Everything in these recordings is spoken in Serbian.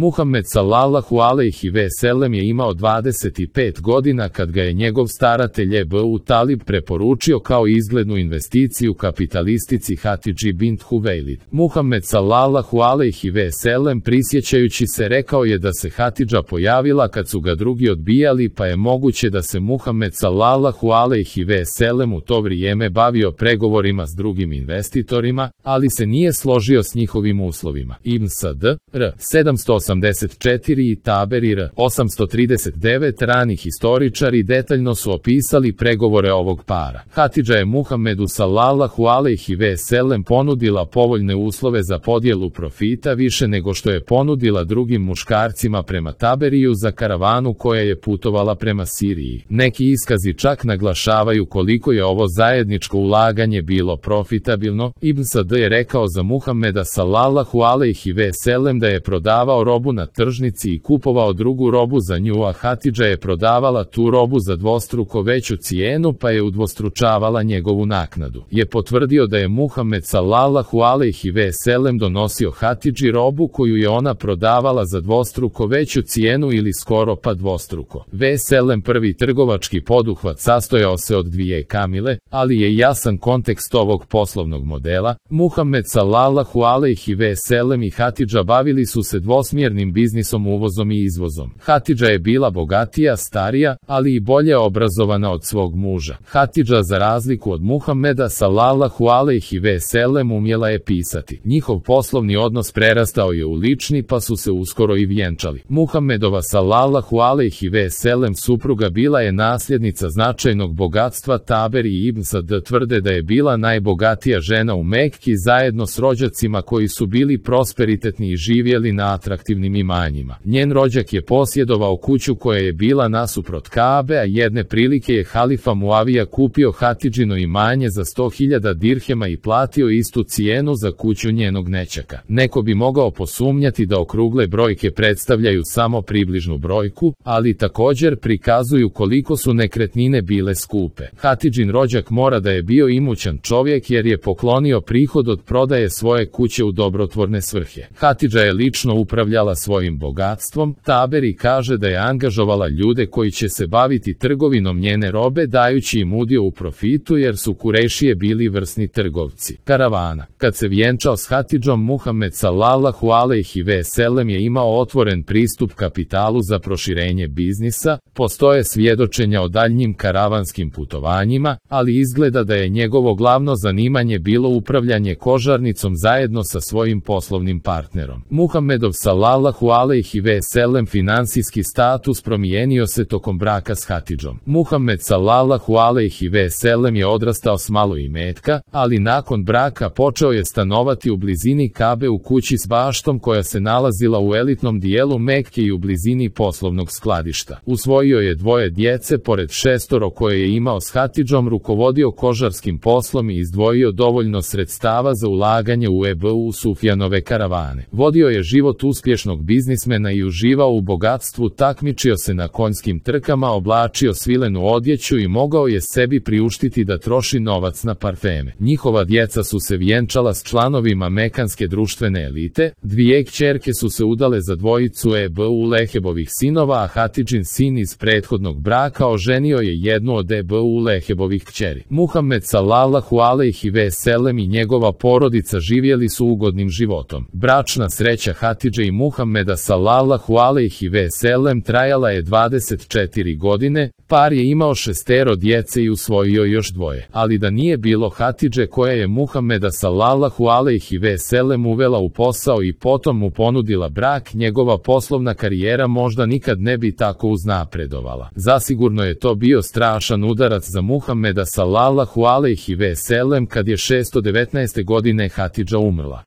Muhammed sallallahu alejhi ve sellem je imao 25 godina kad ga je njegov staratelj Ebu Talib preporučio kao izglednu investiciju kapitalistici Hatidži bint Huvejlid. Muhammed sallallahu alejhi ve sellem prisjećajući se rekao je da se Hatidža pojavila kad su ga drugi odbijali, pa je moguće da se Muhammed sallallahu alejhi ve sellem u to vrijeme bavio pregovorima s drugim investitorima, ali se nije složio s njihovim uslovima. Ibn Sad, r. 784 i Taberi r. 839 rani historičari detaljno su opisali pregovore ovog para. Hatidža je Muhammedu sallallahu alejhi ve sellem ponudila povoljne uslove za podjelu profita više nego što je ponudila drugim muškarcima prema Taberiju za karavanu koja je putovala prema Siriji. Neki iskazi čak naglašavaju koliko je ovo zajedničko ulaganje bilo profitabilno. Ibn Sad je rekao za Muhammeda sallallahu alejhi ve sellem da je prodavao robu na tržnici i kupovao drugu robu za nju, a Hatidža je prodavala tu robu za dvostruko veću cijenu pa je udvostručavala njegovu naknadu. Je potvrdio da je Muhammed sallallahu alejhi ve sellem donosio Hatidži robu koju je ona prodavala za dvostruko veću cijenu ili skoro pa dvostruko. Ve sellem prvi trgovački poduhvat sastojao se od dvije kamile, ali je jasan kontekst ovog poslovnog modela. Muhammed sallallahu alejhi ve sellem i Hatidža bavili su se dvosmjernim biznisom, uvozom i izvozom. Hatidža je bila bogatija, starija, ali i bolje obrazovana od svog muža. Hatidža za razliku od Muhammeda sallallahu alejhi ve sellem umjela je pisati. Njihov poslovni odnos prerastao je u lični pa su se uskoro i vjenčali. Muhammedova sallallahu alejhi ve sellem supruga bila je nasljednica značajnog bogatstva. Taberi i Ibn Sad tvrde da je bila najbogatija žena u Mekki zajedno s rođacima koji su bili prosperitetni i živjeli na atraktivnim imanjima. Njen rođak je posjedovao kuću koja je bila nasuprot Kabe, a jedne prilike je halifa Muavija kupio Hatidžino imanje za 100.000 dirhema i platio istu cijenu za kuću njenog nećaka. Neko bi mogao posumnjati da okrugle brojke predstavljaju samo približnu brojku, ali također prikazuju koliko su nekretnine bile skupe. Hatidžin rođak mora da je bio imućan čovjek jer je poklonio prihod od prodaje svoje kuće u dobrotvorne svrhe. Hatidža je lično upravljala svojim bogatstvom. Taberi kaže da je angažovala ljude koji će se baviti trgovinom njene robe dajući im udio u profitu jer su Kurejšije bili vrsni trgovci. Karavana. Kad se vjenčao s Hatidžom, Muhammed sallallahu alejhi ve sellem je imao otvoren pristup kapitalu za proširenje biznisa. Postoje svjedočenja o daljnjim karavanskim putovanjima, ali izgleda da je njegovo glavno zanimanje bilo upravljanje kožarnicom zajedno sa svojim poslovnim partnerom. Muhammedov sallallahu alejhi ve sellem finansijski status promijenio se tokom braka s Hatidžom. Muhammed sallallahu alejhi ve sellem je odrastao s malo imetka, ali nakon braka počeo je stanovati u blizini Kabe u kući s baštom koja se nalazila u elitnom dijelu Mekke i u blizini poslovnog skladišta. Usvojio je 2 djece pored 6 koje je imao s Hatidžom, rukovodio kožarskim poslom i izdvojio dovoljno sredstava za ulaganje u Ebu Sufjanove karavane. Vodio je život uspješnog biznismena i uživao u bogatstvu, takmičio se na konjskim trkama, oblačio svilenu odjeću i mogao je sebi priuštiti da troši novac na parfeme. Njihova djeca su se vjenčala s članovima mekanske društvene elite, 2 kćerke su se udale za dvojicu Ebu Lehebovih sinova, a Hatidžin sin iz prethodnog braka oženio je jednu od Ebu Lehebovih kćeri. Muhammed sallallahu alejhi ve sellem i njegova porodica živjeli su ugodnim životom. Bračna sreća Hatidže i Muhammeda sallallahu alejhi ve sellem trajala je 24 godine, par je imao 6 djece i usvojio još 2. Ali da nije bilo Hatidže koja je Muhammeda sallallahu alejhi ve sellem uvela u posao i potom mu ponudila brak, njegova poslovna karijera možda nikad ne bi tako uznapredovala. Zasigurno je to bio strašan udarac za Muhammeda sallallahu alejhi ve sellem kad je 619. godine Hatidža umrla.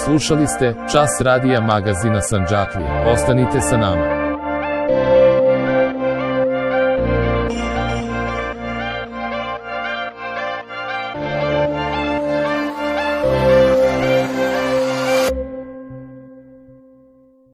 Slušali ste Čas radija magazina Sandžaklija. Ostanite sa nama.